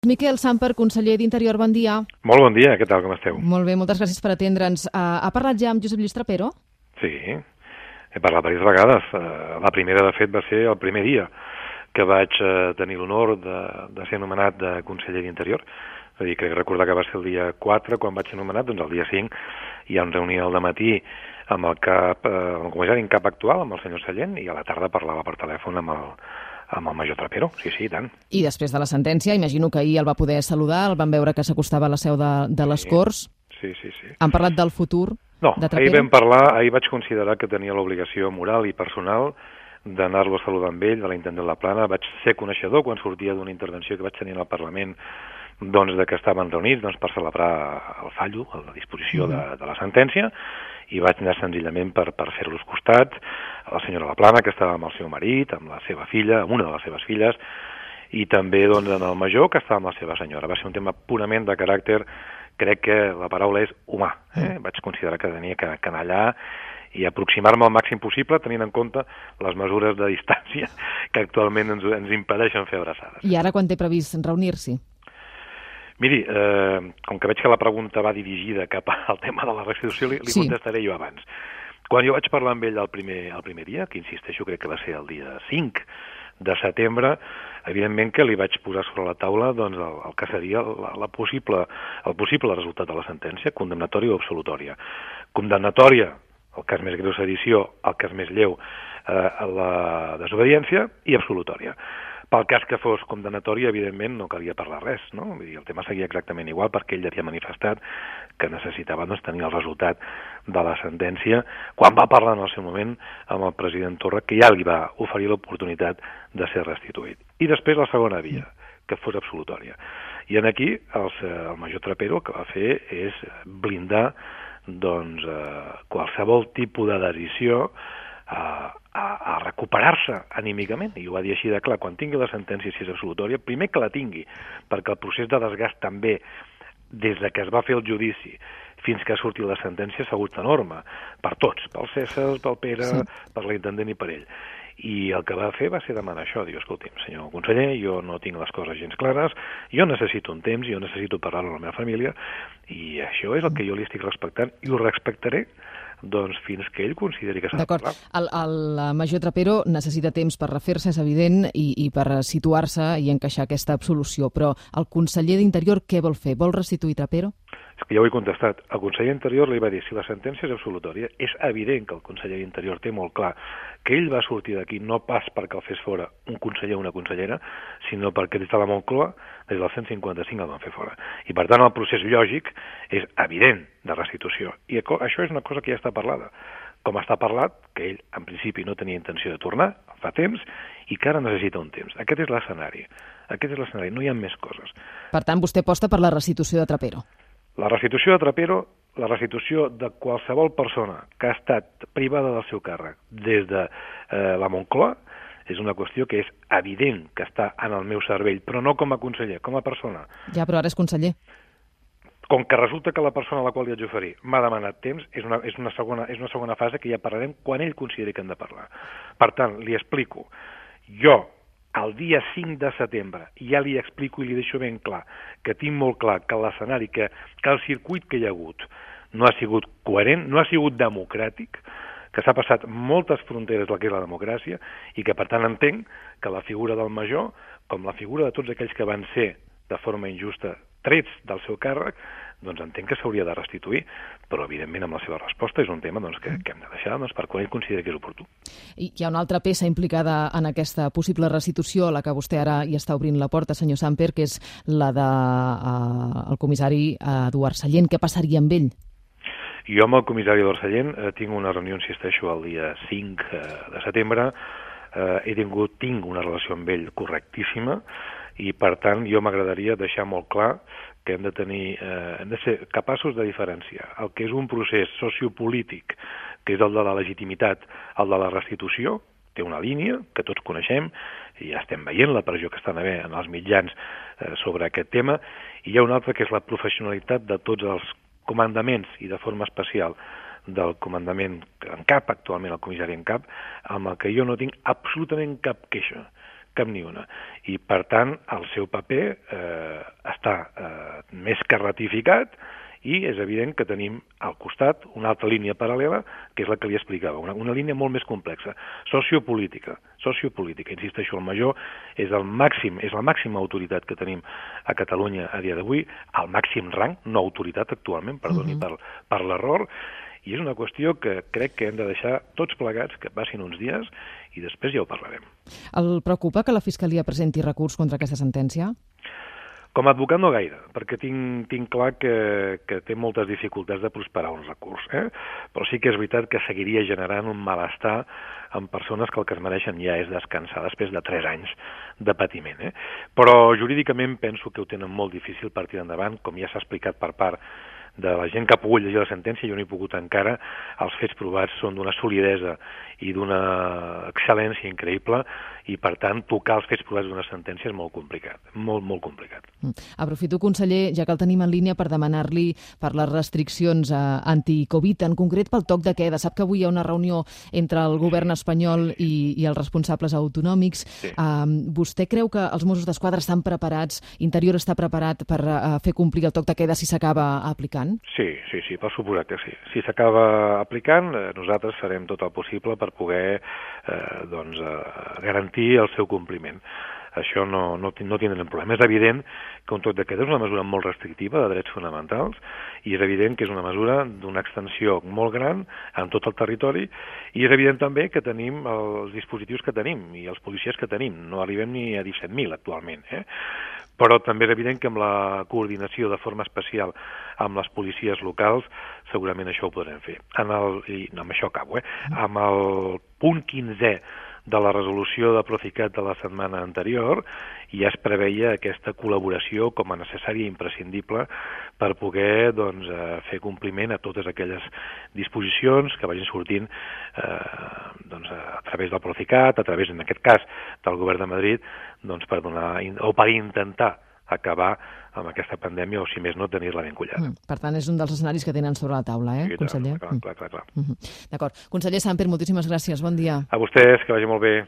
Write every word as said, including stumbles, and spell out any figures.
Miquel Samper, conseller d'Interior, bon dia. Molt bon dia, què tal, com esteu? Molt bé, moltes gràcies per atendre'ns. Uh, ha parlat ja amb Josep Lluís Trapero? Sí, he parlat diverses vegades. Uh, la primera, de fet, va ser el primer dia que vaig uh, tenir l'honor de, de ser anomenat de conseller d'Interior. És a dir, crec recordar que va ser el dia quatre, quan vaig ser anomenat, doncs el dia cinc hi ha una reunió al dematí amb el cap, uh, amb el comissari en cap actual, amb el senyor Sallent, i a la tarda parlava per telèfon amb el amb el major Trapero, sí, sí, i tant. I després de la sentència, imagino que ahir el va poder saludar, el van veure que s'acostava a la seu de, de les sí, Corts. Sí, sí, sí. Han parlat del futur no, de Trapero? No, ahir vam parlar, ahir vaig considerar que tenia l'obligació moral i personal d'anar-lo a saludar amb ell, de l'intendent La Plana. Vaig ser coneixedor quan sortia d'una intervenció que vaig tenir al Parlament, doncs, de que estaven reunits doncs, per celebrar el fallo, la disposició mm. de, de la sentència, i vaig anar senzillament per, per fer-los costat a la senyora La Plana, que estava amb el seu marit, amb la seva filla, amb una de les seves filles, i també doncs, en el major, que estava amb la seva senyora. Va ser un tema purament de caràcter, crec que la paraula és humà. Eh? Vaig considerar que tenia que, que anar allà i aproximar-me al màxim possible, tenint en compte les mesures de distància que actualment ens, ens impedeixen fer abraçades. I ara quan té previst reunir-s'hi? Miri, eh, com que veig que la pregunta va dirigida cap al tema de la restitució, li, li sí. contestaré jo abans. Quan jo vaig parlar amb ell el primer, el primer dia, que insisteixo crec que va ser el dia cinc de setembre, evidentment que li vaig posar sobre la taula doncs, el, el que seria la, la possible, el possible resultat de la sentència, condemnatòria o absolutòria. Condemnatòria, el cas més greu sedició, el cas més lleu, eh, la desobediència, i absolutòria. Pel cas que fos condemnatòria, evidentment, no calia parlar res, no? Vull dir, el tema seguia exactament igual perquè ell havia manifestat que necessitava doncs, tenir el resultat de la sentència quan va parlar en el seu moment amb el president Torra, que ja li va oferir l'oportunitat de ser restituït. I després la segona via, que fos absolutòria. I en aquí el, el major Trapero el que va fer és blindar doncs, eh, qualsevol tipus de decisió a, a, a recuperar-se anímicament, i ho va dir així de clar, quan tingui la sentència, si és absolutòria, primer que la tingui, perquè el procés de desgast també, des de que es va fer el judici fins que ha sortit la sentència, s'ha hagut enorme, per tots, pel César, pel Pere, sí. per l'intendent i per ell. I el que va fer va ser demanar això, diu, escolti'm, senyor conseller, jo no tinc les coses gens clares, jo necessito un temps, jo necessito parlar amb la meva família, i això és el que jo li estic respectant, i ho respectaré doncs fins que ell consideri que s'ha de parlar. El, el major Trapero necessita temps per refer-se, és evident, i, i per situar-se i encaixar aquesta absolució, però el conseller d'Interior què vol fer? Vol restituir Trapero? És que ja ho he contestat. El conseller d'Interior li va dir, si la sentència és absolutòria, és evident que el conseller d'Interior té molt clar que ell va sortir d'aquí no pas perquè el fes fora un conseller o una consellera, sinó perquè des de la Moncloa, des del cent cinquanta-cinc el van fer fora. I per tant el procés lògic és evident de restitució. I això és una cosa que ja està parlada. Com està parlat, que ell en principi no tenia intenció de tornar, fa temps, i que ara necessita un temps. Aquest és l'escenari. Aquest és l'escenari, no hi ha més coses. Per tant, vostè aposta per la restitució de Trapero. La restitució de Trapero, la restitució de qualsevol persona que ha estat privada del seu càrrec des de eh, la Moncloa, és una qüestió que és evident que està en el meu cervell, però no com a conseller, com a persona. Ja, però ara és conseller. Com que resulta que la persona a la qual li haig d'oferir m'ha demanat temps, és una, és, una segona, és una segona fase que ja parlarem quan ell consideri que hem de parlar. Per tant, li explico. Jo, el dia cinc de setembre, ja li explico i li deixo ben clar que tinc molt clar que l'escenari, que, que el circuit que hi ha hagut no ha sigut coherent, no ha sigut democràtic, que s'ha passat moltes fronteres del que és la democràcia i que per tant entenc que la figura del major, com la figura de tots aquells que van ser de forma injusta trets del seu càrrec, doncs entenc que s'hauria de restituir, però evidentment amb la seva resposta és un tema doncs, que, que hem de deixar doncs, per quan ell consideri que és oportú. I hi ha una altra peça implicada en aquesta possible restitució, a la que vostè ara hi està obrint la porta, senyor Samper, que és la del de, uh, comissari Eduard Sallent. Què passaria amb ell? Jo amb el comissari Eduard Sallent eh, tinc una reunió, insisteixo, el dia cinc eh, de setembre. Eh, he tingut, tinc una relació amb ell correctíssima i, per tant, jo m'agradaria deixar molt clar que hem de tenir, eh, hem de ser capaços de diferenciar el que és un procés sociopolític, que és el de la legitimitat, el de la restitució, té una línia que tots coneixem, i ja estem veient la pressió que estan havent en els mitjans eh, sobre aquest tema, i hi ha una altra que és la professionalitat de tots els comandaments i de forma especial del comandament en cap, actualment el comissari en cap, amb el que jo no tinc absolutament cap queixa, cap ni una. I, per tant, el seu paper eh, està eh, més que ratificat, i és evident que tenim al costat una altra línia paral·lela, que és la que li explicava, una, una línia molt més complexa, sociopolítica. Sociopolítica, insisteixo, el major és el màxim, és la màxima autoritat que tenim a Catalunya a dia d'avui, al màxim rang, no autoritat actualment, perdoni uh-huh. per, per l'error, i és una qüestió que crec que hem de deixar tots plegats que passin uns dies i després ja ho parlarem. El preocupa que la Fiscalia presenti recurs contra aquesta sentència? Com a advocat no gaire, perquè tinc, tinc clar que, que té moltes dificultats de prosperar un recurs, eh? Però sí que és veritat que seguiria generant un malestar en persones que el que es mereixen ja és descansar després de tres anys de patiment. Eh? Però jurídicament penso que ho tenen molt difícil per tirar endavant, com ja s'ha explicat per part de la gent que ha pogut llegir la sentència, jo no he pogut encara, els fets provats són d'una solidesa i d'una excel·lència increïble, i per tant tocar els fets provats d'una sentència és molt complicat, molt, molt complicat. Aprofito, conseller, ja que el tenim en línia, per demanar-li per les restriccions anti-Covid, en concret pel toc de queda. Sap que avui hi ha una reunió entre el govern espanyol i, i els responsables autonòmics. Sí. Uh, vostè creu que els Mossos d'Esquadra estan preparats, Interior està preparat per uh, fer complir el toc de queda si s'acaba aplicant? Sí, sí, sí, per suposar que sí. Si s'acaba aplicant, eh, nosaltres farem tot el possible per poder eh, doncs, eh, garantir el seu compliment. Això no, no, no tindrem problema. És evident que un toc de queda és una mesura molt restrictiva de drets fonamentals i és evident que és una mesura d'una extensió molt gran en tot el territori i és evident també que tenim els dispositius que tenim i els policies que tenim. No arribem ni a disset mil actualment, eh? Però també és evident que amb la coordinació de forma especial amb les policies locals segurament això ho podrem fer. En el, i no, amb això acabo, eh? Amb el punt quinzè de la resolució de Procicat de la setmana anterior ja es preveia aquesta col·laboració com a necessària i imprescindible per poder doncs, fer compliment a totes aquelles disposicions que vagin sortint eh, doncs, a través del Procicat, a través, en aquest cas, del Govern de Madrid, doncs, per donar, o per intentar acabar amb aquesta pandèmia o, si més no, tenir-la ben collada. Mm, per tant, és un dels escenaris que tenen sobre la taula, eh, sí, conseller? Clar, clar, clar. clar. Mm. D'acord. Conseller Samper, moltíssimes gràcies. Bon dia. A vostès, que vagi molt bé.